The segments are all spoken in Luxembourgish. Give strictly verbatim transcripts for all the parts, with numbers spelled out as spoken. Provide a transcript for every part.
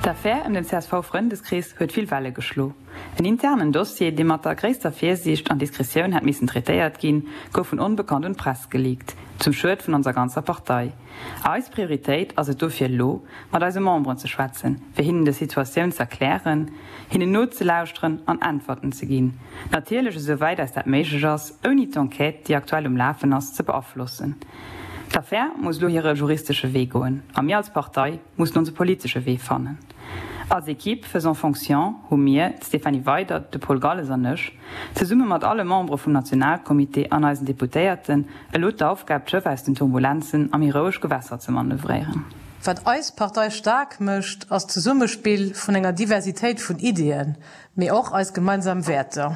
D'Affär ëm den CSV-Frëndeskrees huet vill Welle geschlo. En internen Dossier, dee mat der gréisster Virsiicht an Diskretioun hätt missen traitéiert ginn, gouf vun Onbekannt un d'Press geleakt, zum Schued vun onser ganzer Partei. Eis Prioritéit ass et dofir elo, mat eise Memberen ze schwätzen, fir hinnen des Situatioun z'erklären, hinnen nozelauschteren an Äntwerten ze ginn. Natierlech esou wäit eis dat méiglech ass, ouni d'Enquête, déi aktuell um Lafen ass, ze beaflossen. D'Affär muss elo hire juristesche Wee goen a mir als Partei mussen onse politesche Wee fannen. Als Equipe faisant fonction hu mir, d'Stéphanie Weydert, de Paul Galles an ech, zesumme mat alle Membere vum Nationalcomité an eisen Deputéierten, elo d'Aufgab, d'Schëff aus den Turbulenzen a méi roueg Gewässer ze manövréieren. Wat eis Partei staark mécht, ass d'Zesummespill vun enger Diversitéit vun Ideeën, mee och eis gemeinsam Wäerter.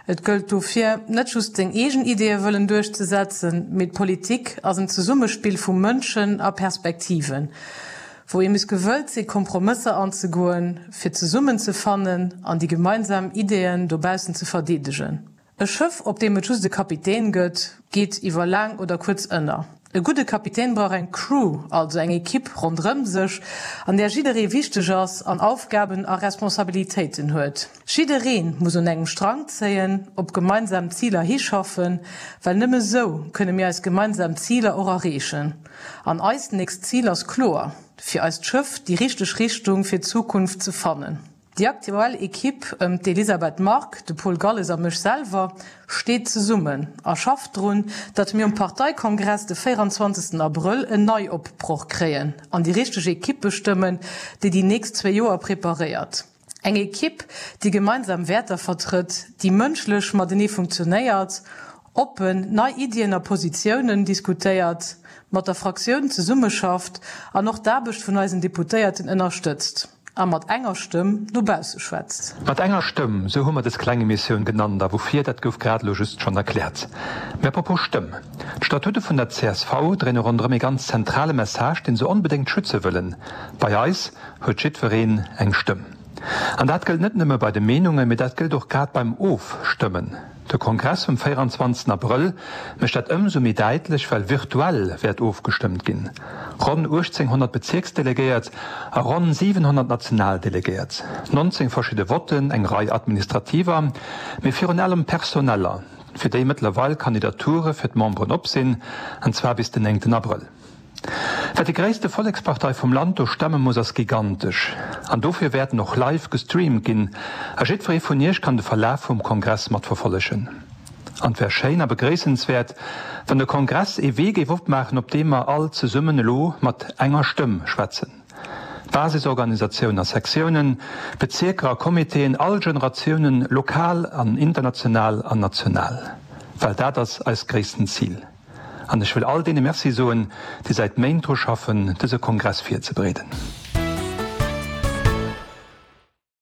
Et gëllt dofir, net just seng eegen Ideeë wëllen duerchzesetzen, mee d'Politik ass en Zesummespill vu Mënschen a Perspektiven, wou ee muss gewëllt si Kompromësser anzegoen, fir zesummen ze fannen an déi gemeinsam Ideeën dobaussen ze verdeedegen. E Schëff, op deem et just e Kapitän gëtt, geet iwwer laang oder kuerz ënner. E gudde Kapitän brauch eng Crew, also eng Ekipp ronderëm sech, an där jidderee wichteg ass an Aufgaben a Responsabilitéiten huet. Jidderee muss un engem Strang zéien, op gemeinsam Ziler hischaffen, well nëmme sou kënne mir eis gemeinsam Ziler och erreechen. An eist nächst Zil ass kloer, fir eist Schëff déi richteg Richtung fir d'Zukunft ze fannen. Déi aktuell Ekipp ëm d'Elisabeth Margue, de Paul Galles a mech selwer steet zesummen a schafft drun, datt mir um Parteikongress de véieranzwanzegsten Abrëll en Neiopbroch kréien an déi richteg Ekipp bestëmmen, déi déi nächst zwee Joer preparéiert. Eng Ekipp, déi gemeinsam Wäerter vertrëtt, déi mënschlech matenee funktionéiert, oppen nei Iddien a Positiounen diskutéiert, mat der Fraktioun zesummeschafft an och d'Aarbecht vun eisen Deputéierten ënnerstëtzt. A mat enger Stëmm no bausse schwätzt. Mat enger Stëmm, esou hu mer dës kleng Emissioun genannt. A woufir, dat gouf grad elo just schonn erkläert. Mä à propos Stëmm, D'Statute vun der csv dréine ronderëm ee ganz zentrale Message, dee se onbedéngt schütze wëllen, Bei eis huet jiddwereen eng Stëmm. An dat gëllt net nëmme bei de Meenungen, mee dat gëllt och grad beim Ofstëmmen. De Kongress vum véieranzwanzegsten Abrëll mécht dat ëmsou méi däitlech, well virtuell wäert ofgestëmmt ginn. Ronn uechtzénghonnert Bezierksdelegéiert a ronn siwenhonnert Nationaldelegéiert. Nonzéng verschidde Votten, eng Rei administrativer, mee virun allem personeller, fir déi mëttlerweil Kandidature fir d'Memberen op sinn, an zwar bis den néngten Abrëll. Wat déi gréisste Vollekspartei vum Land do stemme muss ass gigantesch. An dofir wäerten och live gestreamt ginn a jiddweree vun iech kann de Verlaf vum Kongress mat verfollegen. An et wär schéin a begréissenswäert, wann de Kongress ee Wee géif opmaachen, op deem mer all zesummen elo mat enger Stëmm schwätzen. Basisorganisatiounen a Sektiounen, Bezierker a Comitéen, all Generatiounen, lokal an international an national. Well dat ass eist gréissten Zil. An ech wëll all deene Merci soen, déi säit Méint dru schaffen, dëse Kongress virzebereeden.